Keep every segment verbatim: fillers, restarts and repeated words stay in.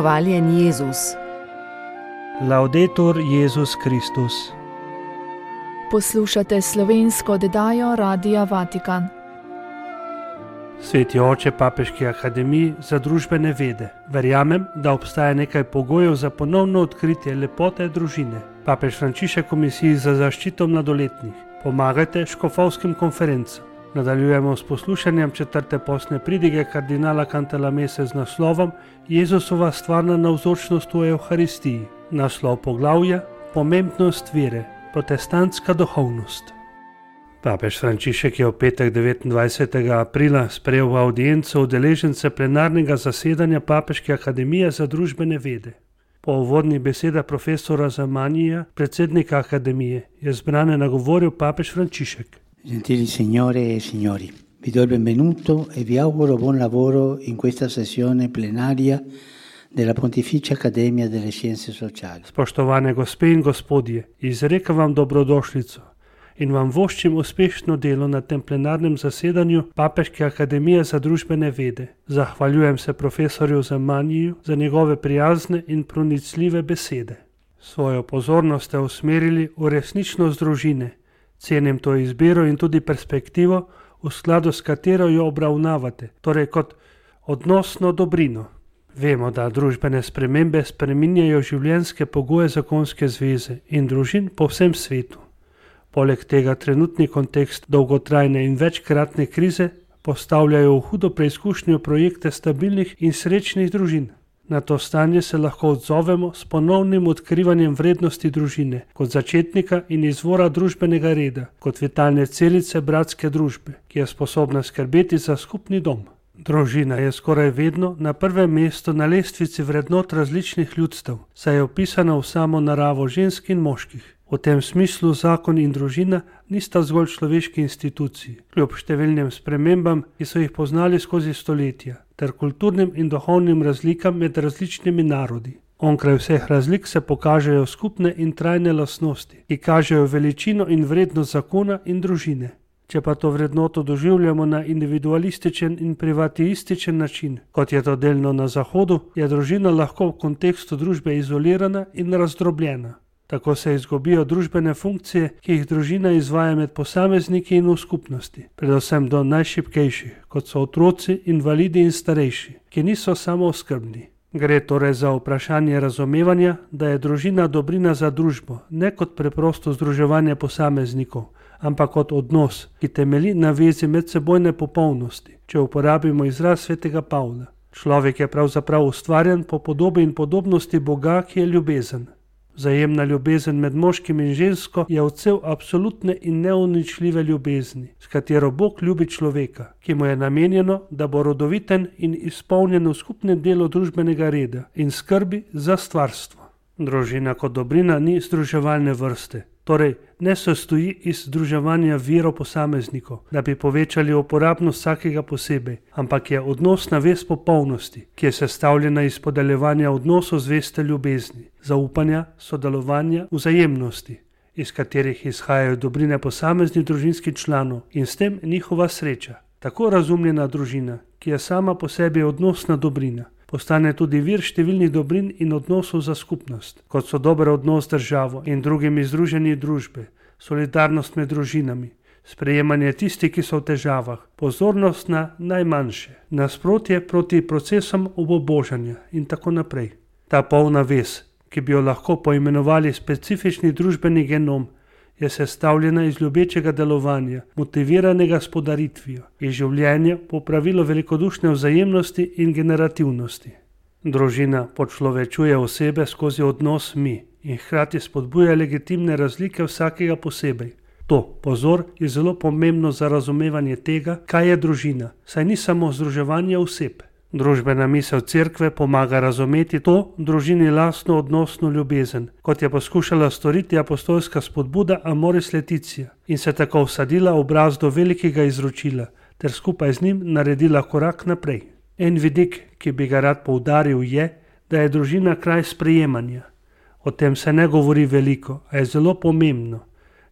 Hvaljen Jezus. Laudetur Jezus Kristus. Poslušate slovensko oddajo Radia Vatikan. Sveti oče Papeški akademiji za družbene vede. Verjamem, da obstaja nekaj pogojev za ponovno odkritje lepote družine. Papež Frančišek Komisiji za zaščito mladoletnih. Pomagajte škofovskim konferencam. Nadaljujemo s poslušanjem četrte postne pridige kardinala Cantalamesse z naslovom Jezusova stvarna navzočnost v Evharistiji. Naslov poglavja Pomembnost vere, protestantska duhovnost. Papež Frančišek je v petek devetindvajsetega aprila sprejel v avdienco udeležence plenarnega zasedanja Papeške akademije za družbene vede. Po uvodnih besedah profesora Zamanija, predsednika akademije, je zbrane nagovoril papež Frančišek. Gentili signore e signori, vi do il benvenuto e vi auguro buon lavoro in questa sessione plenaria della Pontificia Accademia delle Scienze Sociali. Spoštovane gospe in gospodje, izrekam vam dobrodošlico in vam voščim uspešno delo na tem plenarnem zasedanju Papeške akademije za družbene vede. Zahvaljujem se profesorju Zamaniju za njegove prijazne in pronicljive besede. Svojo pozornost ste usmerili v resničnost družine. Cenim to izbiro in tudi perspektivo, v skladu s katero jo obravnavate, torej kot odnosno dobrino. Vemo, da družbene spremembe spreminjajo življenjske pogoje zakonske zveze in družin po vsem svetu. Poleg tega trenutni kontekst dolgotrajne in večkratne krize postavljajo v hudo preizkušnjo projekte stabilnih in srečnih družin. Na to stanje se lahko odzovemo s ponovnim odkrivanjem vrednosti družine kot začetnika in izvora družbenega reda, kot vitalne celice bratske družbe, ki je sposobna skrbeti za skupni dom. Družina je skoraj vedno na prvem mestu na lestvici vrednot različnih ljudstev, saj je opisana v samo naravo žensk in moških. V tem smislu zakon in družina nista zgolj človeški instituciji, kljub številnim spremembam, ki so jih poznali skozi stoletja, ter kulturnim in duhovnim razlikam med različnimi narodi. Onkraj vseh razlik se pokažejo skupne in trajne lastnosti, ki kažejo veličino in vrednost zakona in družine. Če pa to vrednoto doživljamo na individualističen in privatističen način, kot je to delno na Zahodu, je družina lahko v kontekstu družbe izolirana in razdrobljena. Tako se izgubijo družbene funkcije, ki jih družina izvaja med posamezniki in v skupnosti, predvsem do najšibkejših, kot so otroci, invalidi in starejši, ki niso samooskrbni. Gre torej za vprašanje razumevanja, da je družina dobrina za družbo, ne kot preprosto združevanje posameznikov, ampak kot odnos, ki temelji na vezi medsebojne popolnosti, če uporabimo izraz svetega Pavla. Človek je pravzaprav ustvarjen po podobi in podobnosti Boga, ki je ljubezen. Vzajemna ljubezen med moškim in žensko je odsev absolutne in neuničljive ljubezni, s katero Bog ljubi človeka, ki mu je namenjeno, da bo rodoviten in izpolnjen v skupnem delu družbenega reda in skrbi za stvarstvo. Družina kot dobrina ni združevalne vrste, torej ne sestoji iz združevanja virov posameznikov, da bi povečali uporabnost vsakega posebej, ampak je odnosna vez popolnosti, ki je sestavljena iz podeljevanja odnosov zveste ljubezni, zaupanja, sodelovanja, vzajemnosti, iz katerih izhajajo dobrine posameznih družinskih članov in s tem njihova sreča. Tako razumljena družina, ki je sama po sebi odnosna dobrina, postane tudi vir številnih dobrin in odnosov za skupnost, kot so dober odnos z državo in drugimi združenji družbe, solidarnost med družinami, sprejemanje tistih, ki so v težavah, pozornost na najmanjše, nasprotje proti procesom obubožanja in tako naprej. Ta polna vez, ki bi jo lahko poimenovali specifični družbeni genom, je sestavljena iz ljubečega delovanja, motiviranega s podaritvijo, iz življenja po pravilu velikodušne vzajemnosti in generativnosti. Družina počlovečuje osebe skozi odnos mi in hkrati spodbuja legitimne razlike vsakega posebej. To, pozor, je zelo pomembno za razumevanje tega, kaj je družina, saj ni samo združevanje oseb. Družbena misel cerkve pomaga razumeti to družini lastno odnosno ljubezen, kot je poskušala storiti apostolska spodbuda Amoris Laetitia in se tako vsadila v brazdo velikega izročila ter skupaj z njim naredila korak naprej. En vidik, ki bi ga rad poudaril, je, da je družina kraj sprejemanja. O tem se ne govori veliko, a je zelo pomembno.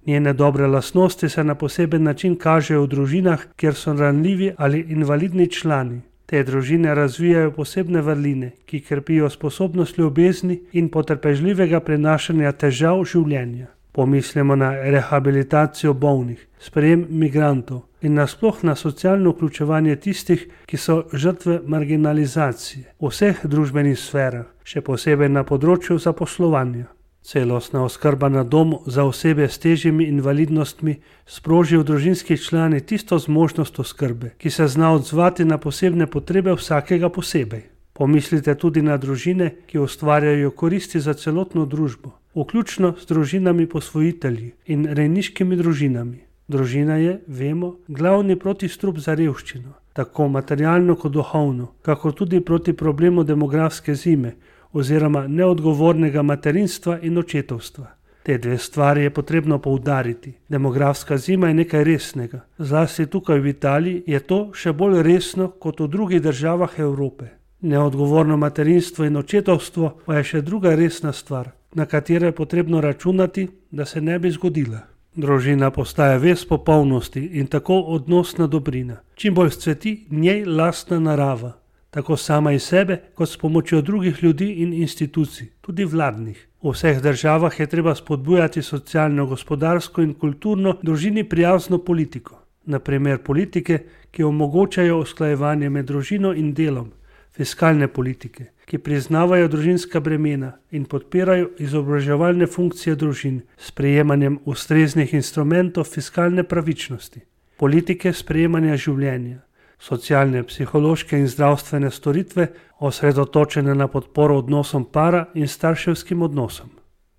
Njene dobre lastnosti se na poseben način kažejo v družinah, kjer so ranljivi ali invalidni člani. Te družine razvijajo posebne vrline, ki krepijo sposobnost ljubezni in potrpežljivega prenašanja težav življenja. Pomislimo na rehabilitacijo bolnih, sprejem migrantov in nasploh na socialno vključevanje tistih, ki so žrtve marginalizacije v vseh družbenih sferah, še posebej na področju zaposlovanja. Celostna oskrba na domu za osebe s težjimi invalidnostmi sproži v družinskih člani tisto zmožnost oskrbe, ki se zna odzvati na posebne potrebe vsakega posebej. Pomislite tudi na družine, ki ustvarjajo koristi za celotno družbo, vključno s družinami posvojitelji in rejniškimi družinami. Družina je, vemo, glavni protistrup za revščino, tako materialno kot duhovno, kakor tudi proti problemu demografske zime oziroma neodgovornega materinstva in očetovstva. Te dve stvari je potrebno poudariti. Demografska zima je nekaj resnega. Zlasti tukaj v Italiji je to še bolj resno kot v drugih državah Evrope. Neodgovorno materinstvo in očetovstvo pa je še druga resna stvar, na katero je potrebno računati, da se ne bi zgodila. Družina postaja vez popolnosti in tako odnosna dobrina. Čim bolj scveti njej lastna narava, tako sama iz sebe, kot s pomočjo drugih ljudi in institucij, tudi vladnih. V vseh državah je treba spodbujati socialno, gospodarsko in kulturno družini prijazno politiko. Naprimer politike, ki omogočajo usklajevanje med družino in delom, fiskalne politike, ki priznavajo družinska bremena in podpirajo izobraževalne funkcije družin s sprejemanjem ustreznih instrumentov fiskalne pravičnosti, politike sprejemanja življenja, socialne, psihološke in zdravstvene storitve osredotočene na podporo odnosom para in starševskim odnosom.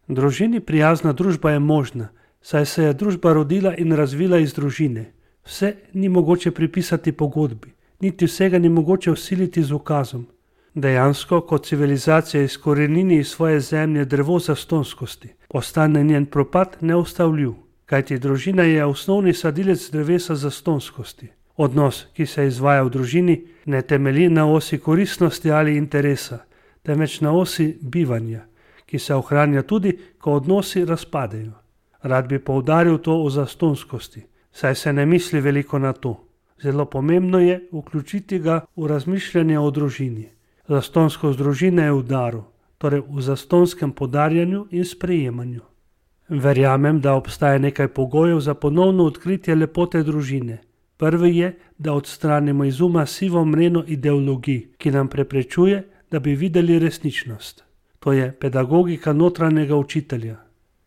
Družini prijazna družba je možna, saj se je družba rodila in razvila iz družine. Vse ni mogoče pripisati pogodbi, niti vsega ni mogoče vsiliti z ukazom. Dejansko, kot civilizacija izkorenini iz svoje zemlje drevo zastonskosti, postane njen propad neustavljiv, kajti družina je osnovni sadilec drevesa zastonskosti. Odnos, ki se izvaja v družini, ne temelji na osi koristnosti ali interesa, temveč na osi bivanja, ki se ohranja tudi, ko odnosi razpadejo. Rad bi poudaril to o zastonskosti, saj se ne misli veliko na to. Zelo pomembno je vključiti ga v razmišljanje o družini. Zastonskost družine je v daru, torej v zastonskem podarjanju in sprejemanju. Verjamem, da obstaja nekaj pogojev za ponovno odkritje lepote družine. Prvi je, da odstranimo iz uma sivo mreno ideologij, ki nam preprečuje, da bi videli resničnost. To je pedagogika notranjega učitelja,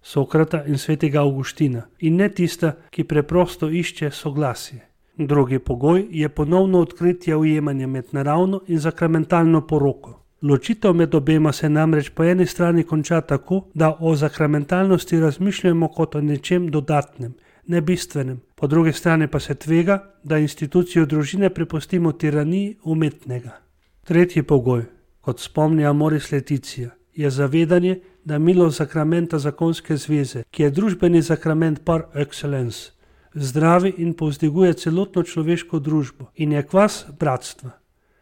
Sokrata in svetega Avguština, in ne tista, ki preprosto išče soglasje. Drugi pogoj je ponovno odkritje ujemanja med naravno in sakramentalno poroko. Ločitev med obema se namreč po eni strani konča tako, da o sakramentalnosti razmišljamo kot o nečem dodatnem, nebistvenem, po drugi strani pa se tvega, da institucijo družine prepustimo tiraniji umetnega. Tretji pogoj, kot spomni Amoris Laetitia, je zavedanje, da milost sakramenta zakonske zveze, ki je družbeni sakrament par excellence, zdravi in povzdiguje celotno človeško družbo in je kvas bratstva.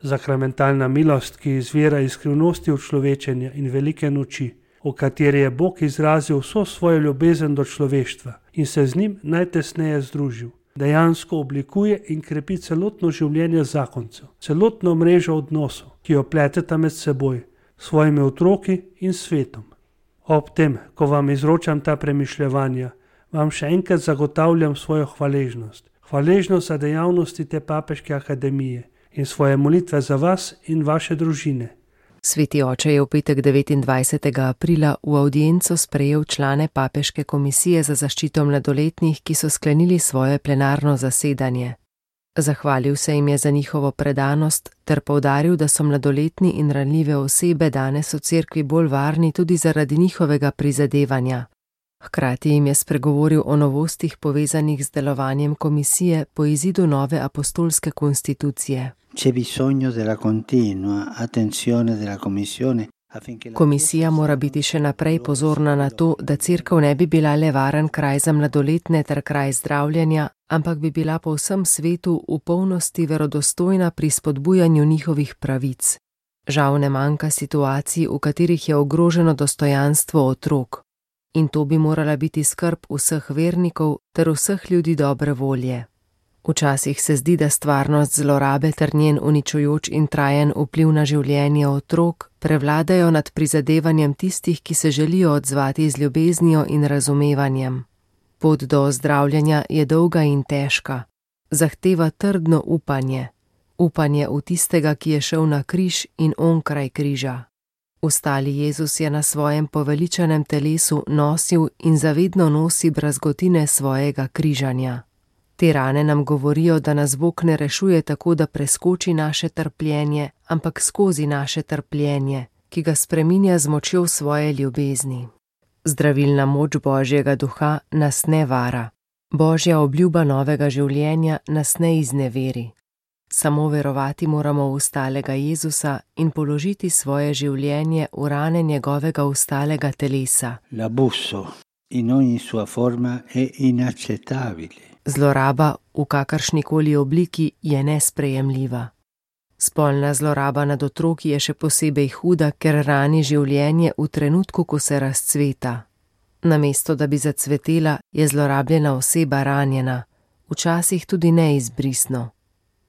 Sakramentalna milost, ki izvira iz skrivnosti učlovečenja in velike noči, v kateri je Bog izrazil vso svojo ljubezen do človeštva in se z njim najtesneje združil, dejansko oblikuje in krepi celotno življenje zakoncev, celotno mrežo odnosov, ki jo pleteta med seboj, svojimi otroki in svetom. Ob tem, ko vam izročam ta premišljevanja, vam še enkrat zagotavljam svojo hvaležnost. Hvaležnost za dejavnosti te papeške akademije in svoje molitve za vas in vaše družine. Sveti oče je v petek devetindvajsetega aprila v avdienco sprejel člane papeške komisije za zaščito mladoletnih, ki so sklenili svoje plenarno zasedanje. Zahvalil se jim je za njihovo predanost ter poudaril, da so mladoletni in ranljive osebe danes v cerkvi bolj varni tudi zaradi njihovega prizadevanja. Hkrati jim je spregovoril o novostih povezanih z delovanjem komisije po izidu nove apostolske konstitucije. C'è bisogno della continua attenzione della Commissione. Komisija mora biti še naprej pozorna na to, da cerkev ne bi bila le varen kraj za mladoletne ter kraj zdravljenja, ampak bi bila po vsem svetu v polnosti verodostojna pri spodbujanju njihovih pravic. Žal ne manjka situacij, v katerih je ogroženo dostojanstvo otrok. In to bi morala biti skrb vseh vernikov ter vseh ljudi dobre volje. Včasih se zdi, da stvarnost zlorabe ter njen uničujoč in trajen vpliv na življenje otrok prevladajo nad prizadevanjem tistih, ki se želijo odzvati z ljubeznijo in razumevanjem. Pot do ozdravljanja je dolga in težka, zahteva trdno upanje, upanje v tistega, ki je šel na križ in onkraj križa. Ustali Jezus je na svojem poveličanem telesu nosil in zavedno nosi brazgotine svojega križanja. Te rane nam govorijo, da nas Bog ne rešuje tako, da preskoči naše trpljenje, ampak skozi naše trpljenje, ki ga spreminja z močjo svoje ljubezni. Zdravilna moč Božjega duha nas ne vara. Božja obljuba novega življenja nas ne izneveri. Samo verovati moramo v ustalega Jezusa in položiti svoje življenje v rane njegovega ustalega telesa. L'abuso in ogni sua forma è inaccettabile. Zloraba v kakršnikoli obliki je nesprejemljiva. Spolna zloraba nad otroki je še posebej huda, ker rani življenje v trenutku, ko se razcveta. Namesto da bi zacvetela, je zlorabljena oseba ranjena, včasih tudi neizbrisno.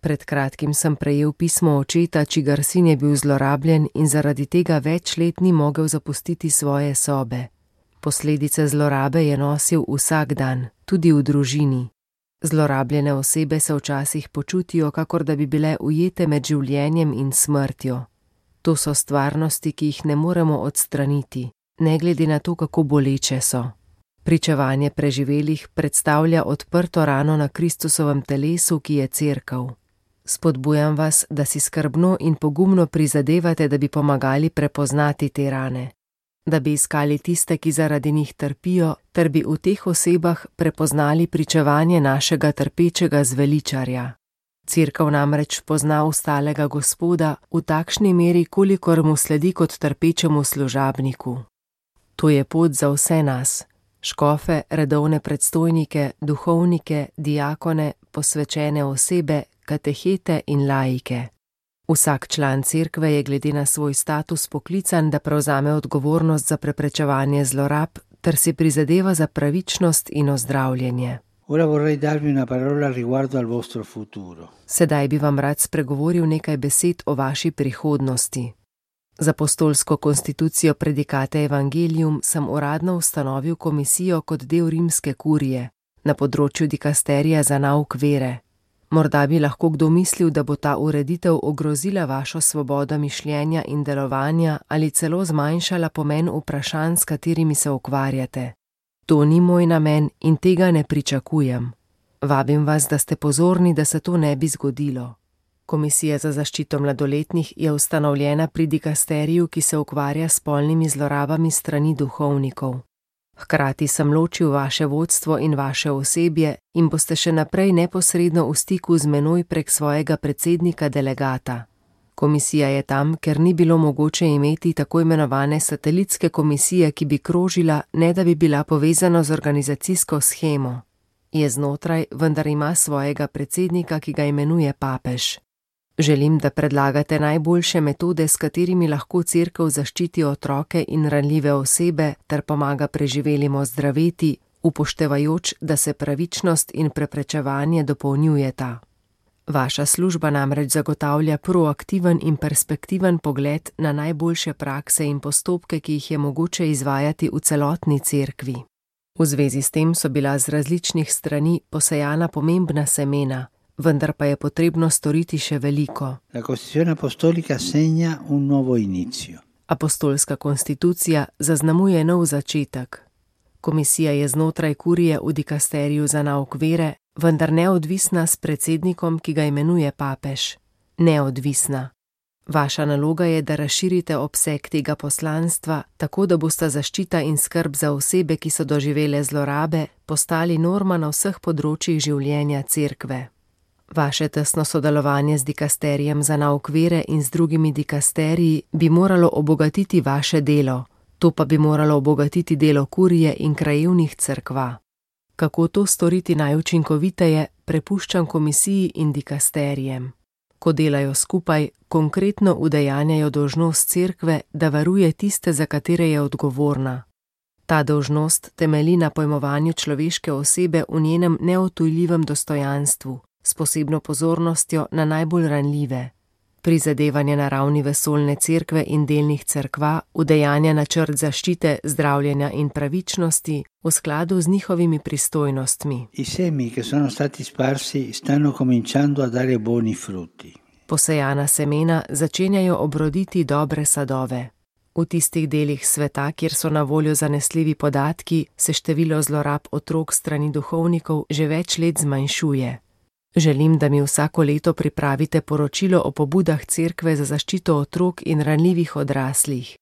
Pred kratkim sem prejel pismo očeta, čigar sin je bil zlorabljen in zaradi tega več let ni mogel zapustiti svoje sobe. Posledice zlorabe je nosil vsak dan, tudi v družini. Zlorabljene osebe se včasih počutijo, kakor da bi bile ujete med življenjem in smrtjo. To so stvarnosti, ki jih ne moremo odstraniti, ne glede na to, kako boleče so. Pričevanje preživelih predstavlja odprto rano na Kristusovem telesu, ki je cerkev. Spodbujam vas, da si skrbno in pogumno prizadevate, da bi pomagali prepoznati te rane, da bi iskali tiste, ki zaradi njih trpijo, ter bi v teh osebah prepoznali pričevanje našega trpečega zveličarja. Cerkev namreč pozna ustalega Gospoda v takšni meri, kolikor mu sledi kot trpečemu služabniku. To je pot za vse nas, škofe, redovne predstojnike, duhovnike, diakone, posvečene osebe, katehete in laike. Vsak član cerkve je glede na svoj status poklican, da prevzame odgovornost za preprečevanje zlorab ter si prizadeva za pravičnost in ozdravljenje. Ora vorrei darvi una parola riguardo al vostro futuro. Sedaj bi vam rad spregovoril nekaj besed o vaši prihodnosti. Z apostolsko konstitucijo Predicate Evangelium sem uradno ustanovil komisijo kot del rimske kurije na področju dikasterija za nauk vere. Morda bi lahko kdo mislil, da bo ta ureditev ogrozila vašo svobodo mišljenja in delovanja ali celo zmanjšala pomen vprašanj, s katerimi se ukvarjate. To ni moj namen in tega ne pričakujem. Vabim vas, da ste pozorni, da se to ne bi zgodilo. Komisija za zaščito mladoletnih je ustanovljena pri dikasteriju, ki se ukvarja s spolnimi zlorabami strani duhovnikov. Hkrati sem ločil vaše vodstvo in vaše osebje in boste še naprej neposredno v stiku z menoj prek svojega predsednika delegata. Komisija je tam, ker ni bilo mogoče imeti tako imenovane satelitske komisije, ki bi krožila, ne da bi bila povezana z organizacijsko shemo. Je znotraj, vendar ima svojega predsednika, ki ga imenuje papež. Želim, da predlagate najboljše metode, s katerimi lahko cerkev zaščiti otroke in ranljive osebe ter pomaga preživelim ozdraveti, upoštevajoč, da se pravičnost in preprečevanje dopolnjujeta. Vaša služba namreč zagotavlja proaktiven in perspektiven pogled na najboljše prakse in postopke, ki jih je mogoče izvajati v celotni cerkvi. V zvezi s tem so bila z različnih strani posejana pomembna semena, vendar pa je potrebno storiti še veliko. La Costituzione Apostolica segna un nuovo inizio. Apostolska konstitucija zaznamuje nov začetek. Komisija je znotraj kurije v dikasteriju za nauk vere, vendar neodvisna s predsednikom, ki ga imenuje papež. Neodvisna. Vaša naloga je, da razširite obseg tega poslanstva, tako da bosta zaščita in skrb za osebe, ki so doživele zlorabe, postali norma na vseh področjih življenja cerkve. Vaše tesno sodelovanje z dikasterijem za nauk vere in z drugimi dikasteriji bi moralo obogatiti vaše delo, to pa bi moralo obogatiti delo kurije in krajevnih cerkva. Kako to storiti najučinkoviteje, prepuščam komisiji in dikasterijem. Ko delajo skupaj, konkretno udejanjajo dolžnost cerkve, da varuje tiste, za katere je odgovorna. Ta dolžnost temelji na pojmovanju človeške osebe v njenem neodtujljivem dostojanstvu, s posebno pozornostjo na najbolj ranljive. Prizadevanje na ravni vesoljne cerkve in delnih cerkva udejanja načrt zaščite, zdravljenja in pravičnosti v skladu z njihovimi pristojnostmi. I semi che sono stati sparsi stanno cominciando a dare buoni frutti. Posejana semena začenjajo obroditi dobre sadove. V tistih delih sveta, kjer so na voljo zanesljivi podatki, se število zlorab otrok strani duhovnikov že več let zmanjšuje. Želim, da mi vsako leto pripravite poročilo o pobudah cerkve za zaščito otrok in ranljivih odraslih.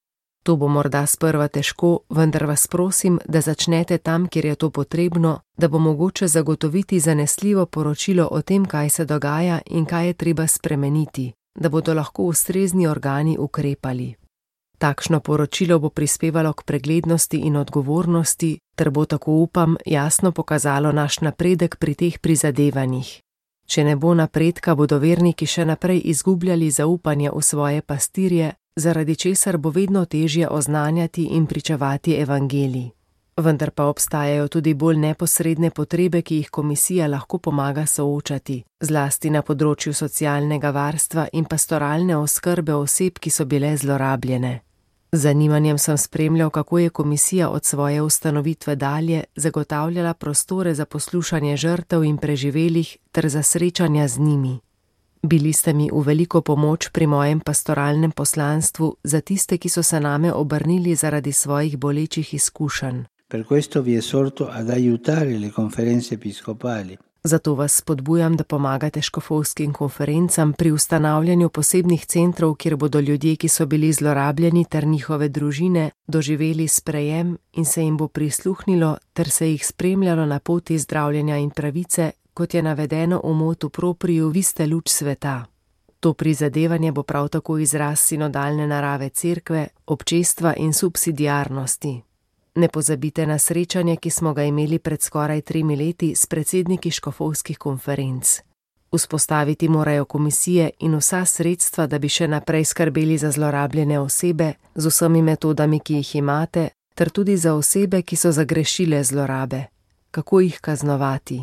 To bo morda sprva težko, vendar vas prosim, da začnete tam, kjer je to potrebno, da bo mogoče zagotoviti zanesljivo poročilo o tem, kaj se dogaja in kaj je treba spremeniti, da bodo lahko ustrezni organi ukrepali. Takšno poročilo bo prispevalo k preglednosti in odgovornosti, ter bo, tako upam, jasno pokazalo naš napredek pri teh prizadevanjih. Če ne bo napredka, bodo verniki še naprej izgubljali zaupanje v svoje pastirje, zaradi česar bo vedno težje oznanjati in pričevati evangelij. Vendar pa obstajajo tudi bolj neposredne potrebe, ki jih komisija lahko pomaga soočati, zlasti na področju socialnega varstva in pastoralne oskrbe oseb, ki so bile zlorabljene. Z zanimanjem sem spremljal, kako je komisija od svoje ustanovitve dalje zagotavljala prostore za poslušanje žrtev in preživelih ter za srečanja z njimi. Bili ste mi v veliko pomoč pri mojem pastoralnem poslanstvu za tiste, ki so se name obrnili zaradi svojih bolečih izkušenj. Per questo vi esorto ad aiutare le conferenze episcopali. Zato vas spodbujam, da pomagate škofovskim konferencam pri ustanavljanju posebnih centrov, kjer bodo ljudje, ki so bili zlorabljeni, ter njihove družine doživeli sprejem in se jim bo prisluhnilo ter se jih spremljalo na poti zdravljenja in pravice, kot je navedeno v motu propriju Vi ste luč sveta. To prizadevanje bo prav tako izraz sinodalne narave cerkve, občestva in subsidiarnosti. Ne pozabite na srečanje, ki smo ga imeli pred skoraj tremi leti s predsedniki škofovskih konferenc. Vzpostaviti morajo komisije in vsa sredstva, da bi še naprej skrbeli za zlorabljene osebe z vsemi metodami, ki jih imate, ter tudi za osebe, ki so zagrešile zlorabe. Kako jih kaznovati?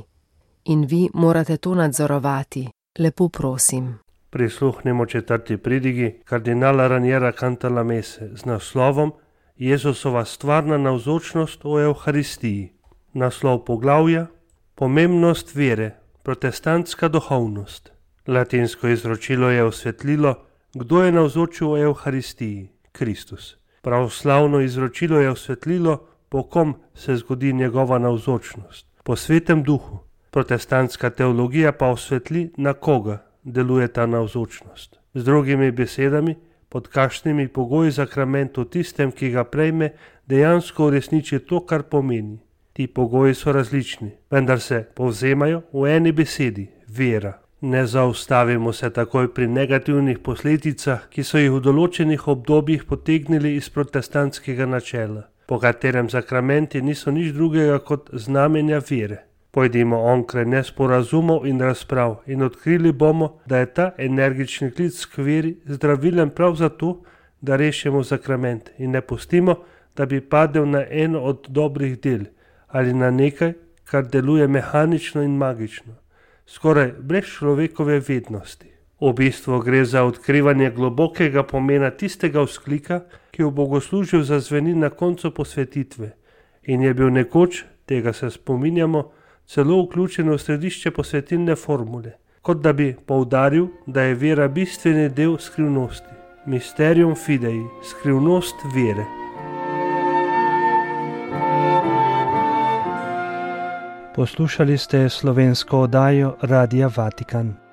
In vi morate to nadzorovati. Lepo prosim. Prisluhnemo četrti pridigi kardinala Raniera Cantalamesse z naslovom Jezusova stvarna navzočnost v Evharistiji. Naslov poglavja: Pomembnost vere, protestantska duhovnost. Latinsko izročilo je osvetlilo, kdo je navzočil v Evharistiji: Kristus. Pravoslavno izročilo je osvetlilo, po kom se zgodi njegova navzočnost: po Svetem Duhu. Protestantska teologija pa osvetli, na koga deluje ta navzočnost. Z drugimi besedami, pod kakšnimi pogoji sakrament v tistem, ki ga prejme, dejansko uresniči to, kar pomeni. Ti pogoji so različni, vendar se povzemajo v eni besedi: vera. Ne zaustavimo se takoj pri negativnih posledicah, ki so jih v določenih obdobjih potegnili iz protestantskega načela, po katerem sakramenti niso nič drugega kot znamenja vere. Pojdimo onkraj nesporazumov in razprav in odkrili bomo, da je ta energični klic k veri zdravilen prav zato, da rešimo sakrament in ne pustimo, da bi padel na eno od dobrih del ali na nekaj, kar deluje mehanično in magično, skoraj brez človekove vednosti. V bistvu gre za odkrivanje globokega pomena tistega vzklika, ki v bogoslužju zazveni na koncu posvetitve in je bil nekoč, tega se spominjamo, celo vključen v središče posvetilne formule, kot da bi poudaril, da je vera bistveni del skrivnosti. Mysterium fidei, skrivnost vere. Poslušali ste slovensko oddajo Radia Vatikan.